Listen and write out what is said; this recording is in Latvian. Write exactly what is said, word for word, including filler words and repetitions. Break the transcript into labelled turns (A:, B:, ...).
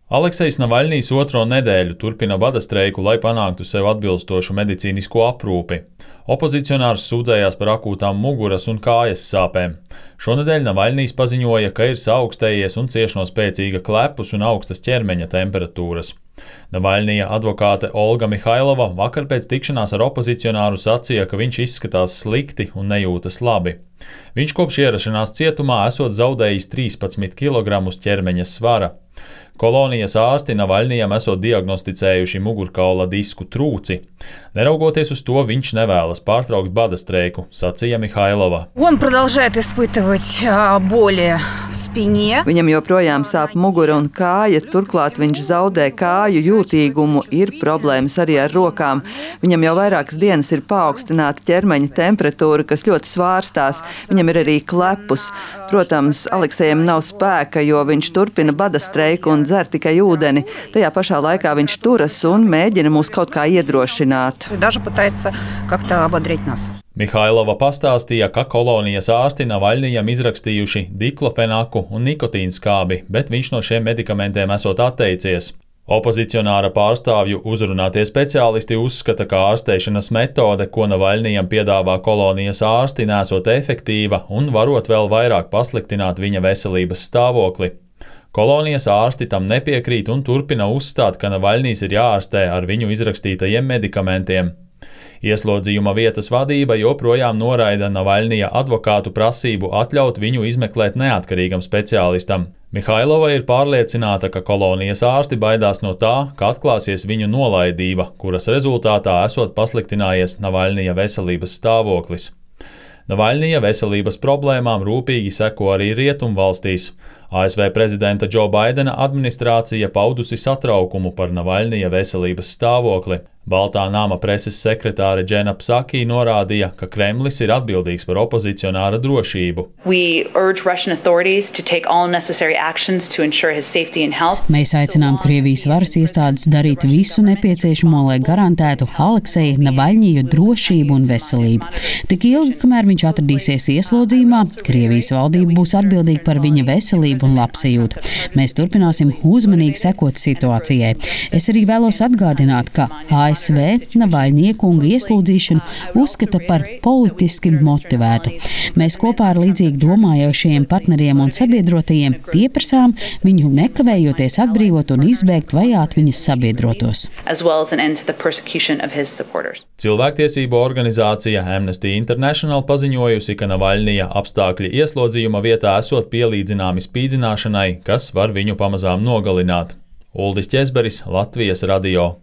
A: Aleksejs Navaļņijs otro nedēļu turpina bada streiku, lai panāktu sev atbilstošu medicīnisko aprūpi. Opozicionārs sūdzējās par akūtām muguras un kājas sāpēm. Šonedēļ Navaļņijs paziņoja, ka ir saaugstējies un cieš no spēcīga klepus un augstas ķermeņa temperatūras. Navaļņija advokāte Olga Mihailova vakar pēc tikšanās ar opozicionāru sacīja, ka viņš izskatās slikti un nejūtas labi. Viņš kopš ierašanās cietumā esot zaudējis trīspadsmit kilogramus ķermeņa svara. Kolonijas ārsti Navaļņijam esot diagnosticējuši mugurkaula disku trūci. Neraugoties uz to, viņš nevēlas pārtraukt bada streiku, sacīja Mihailova.
B: Viņam joprojām sāp mugura un kāja, turklāt viņš zaudē kāju jūtīgumu, ir problēmas arī ar rokām. Viņam jau vairākas dienas ir paaugstināta ķermeņa temperatūra, kas ļoti svārstās. Viņam ir arī klepus. Protams, Aleksejam nav spēka, jo viņš turpina bada streiku un dzer tikai ūdeni. Tajā pašā laikā viņš turas un mēģina mūs kaut kā iedrošināt.
A: Mihailova pastāstīja, ka kolonijas ārsti Navaļņijam izrakstījuši diklofenaku un nikotīnskābi, bet viņš no šiem medikamentiem esot atteicies. Opozicionāra pārstāvju uzrunātie speciālisti uzskata, ka ārstēšanas metode, ko Navaļņijam piedāvā kolonijas ārsti, nesot efektīva un varot vēl vairāk pasliktināt viņa veselības stāvokli. Kolonijas ārsti tam nepiekrīt un turpina uzstāt, ka Navaļņijs ir jāārstē ar viņu izrakstītajiem medikamentiem. Ieslodzījuma vietas vadība joprojām noraida Navaļņija advokātu prasību atļaut viņu izmeklēt neatkarīgam speciālistam. Mihailova ir pārliecināta, ka kolonijas ārsti baidās no tā, ka atklāsies viņu nolaidība, kuras rezultātā esot pasliktinājies Navaļņija veselības stāvoklis. Navaļņija veselības problēmām rūpīgi seko arī rietumvalstīs. A S V prezidenta Džo Baidena administrācija paudusi satraukumu par Navaļņija veselības stāvokli. Baltā nama preses sekretāre Džena Psaki norādīja, ka Kremlis ir atbildīgs par opozicionāra drošību.
C: Mēs aicinām Krievijas varas iestādes darīt visu nepieciešamo, lai garantētu Alekseja Navaļņiju drošību un veselību. Tik ilgi, kamēr viņš atradīsies ieslodzījumā, Krievijas valdība būs atbildīga par viņa veselību un labsajūtu. Mēs turpināsim uzmanīgi sekot situācijai. Es arī vēlos atgādināt, ka A S V Navaļņija kunga ieslodzīšanu uzskata par politiski motivētu. Mēs kopā ar līdzīgi domājošiem partneriem un sabiedrotajiem pieprasām viņu nekavējoties atbrīvot un izbēgt vajāt viņas sabiedrotos.
A: Cilvēktiesību organizācija Amnesty International paziņojusi, ka Navaļņija apstākļi ieslodzījuma vietā esot pielīdzināmi spīdzināšanai, kas var viņu pamazām nogalināt. Uldis Ķezberis, Latvijas radio.